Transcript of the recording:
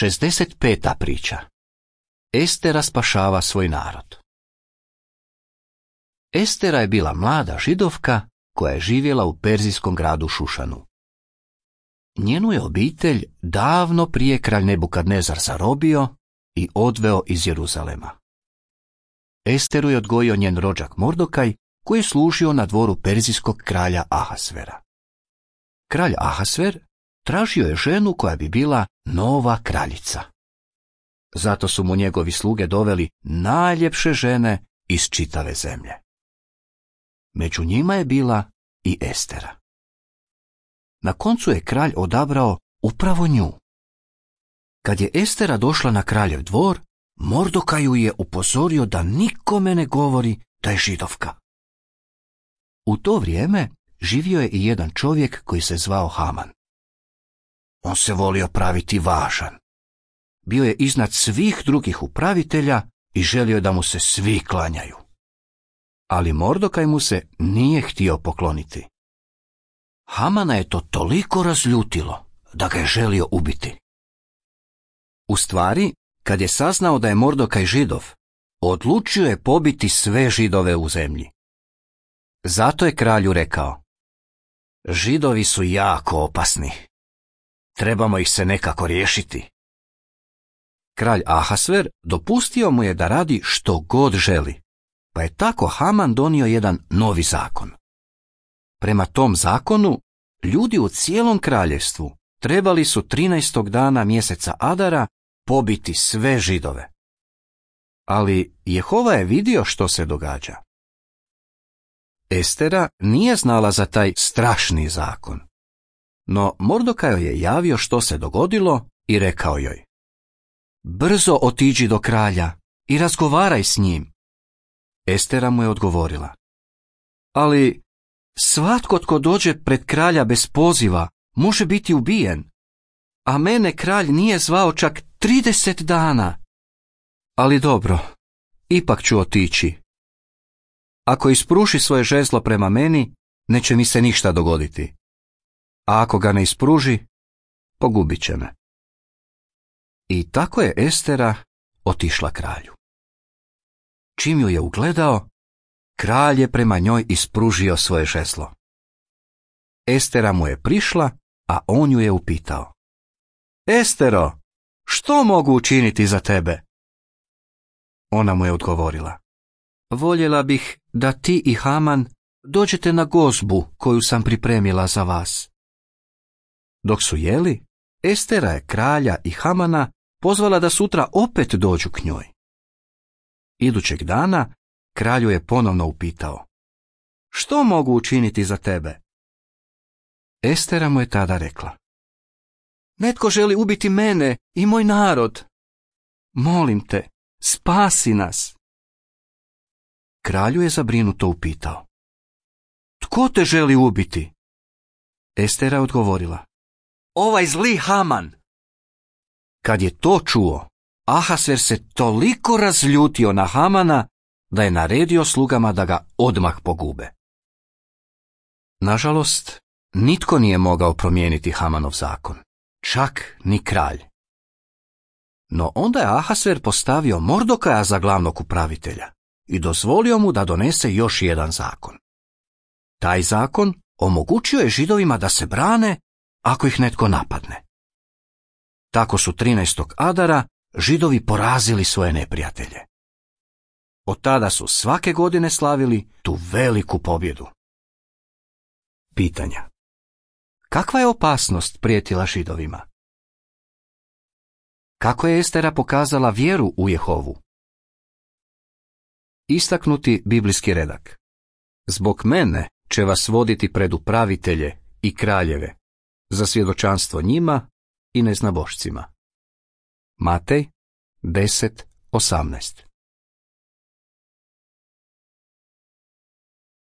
65. priča. Estera spašava svoj narod. Estera je bila mlada Židovka koja je živjela u perzijskom gradu Šušanu. Njenu je obitelj davno prije kralj Nebukadnezar zarobio i odveo iz Jeruzalema. Esteru je odgojio njen rođak Mordokaj, koji je služio na dvoru perzijskog kralja Ahasvera. Kralj Ahasver tražio je ženu koja bi bila nova kraljica. Zato su mu njegovi sluge doveli najljepše žene iz čitave zemlje. Među njima je bila i Estera. Na koncu je kralj odabrao upravo nju. Kad je Estera došla na kraljev dvor, Mordokaj ju je upozorio da nikome ne govori da je Židovka. U to vrijeme živio je i jedan čovjek koji se zvao Haman. On se volio praviti važan. Bio je iznad svih drugih upravitelja i želio da mu se svi klanjaju. Ali Mordokaj mu se nije htio pokloniti. Hamana je to toliko razljutilo da ga je želio ubiti. U stvari, kad je saznao da je Mordokaj Židov, odlučio je pobiti sve Židove u zemlji. Zato je kralju rekao: Židovi su jako opasni. Trebamo ih se nekako riješiti. Kralj Ahasver dopustio mu je da radi što god želi, pa je tako Haman donio jedan novi zakon. Prema tom zakonu, ljudi u cijelom kraljevstvu trebali su 13. dana mjeseca Adara pobiti sve Židove. Ali Jehova je vidio što se događa. Estera nije znala za taj strašni zakon. No Mordokaj joj je javio što se dogodilo i rekao joj: Brzo otiđi do kralja i razgovaraj s njim. Estera mu je odgovorila: Ali svatko tko dođe pred kralja bez poziva može biti ubijen, a mene kralj nije zvao čak 30 dana. Ali dobro, ipak ću otići. Ako ispruši svoje žezlo prema meni, neće mi se ništa dogoditi. A ako ga ne ispruži, pogubit će me. I tako je Estera otišla kralju. Čim ju je ugledao, kralj je prema njoj ispružio svoje žezlo. Estera mu je prišla, a on ju je upitao: Estero, što mogu učiniti za tebe? Ona mu je odgovorila: Voljela bih da ti i Haman dođete na gozbu koju sam pripremila za vas. Dok su jeli, Estera je kralja i Hamana pozvala da sutra opet dođu k njoj. Idućeg dana kralju je ponovno upitao: Što mogu učiniti za tebe? Estera mu je tada rekla: Netko želi ubiti mene i moj narod. Molim te, spasi nas. Kralju je zabrinuto upitao: Tko te želi ubiti? Estera je odgovorila: Ovaj zli Haman. Kad je to čuo, Ahasver se toliko razljutio na Hamana da je naredio slugama da ga odmah pogube. Nažalost, nitko nije mogao promijeniti Hamanov zakon, čak ni kralj. No onda je Ahasver postavio Mordokaja za glavnog upravitelja i dozvolio mu da donese još jedan zakon. Taj zakon omogućio je Židovima da se brane ako ih netko napadne. Tako su 13. Adara Židovi porazili svoje neprijatelje. Od tada su svake godine slavili tu veliku pobjedu. Pitanja: kakva je opasnost prijetila Židovima? Kako je Estera pokazala vjeru u Jehovu? Istaknuti biblijski redak: Zbog mene će vas voditi pred upravitelje i kraljeve, za svjedočanstvo njima i neznabošcima. Matej 10:18.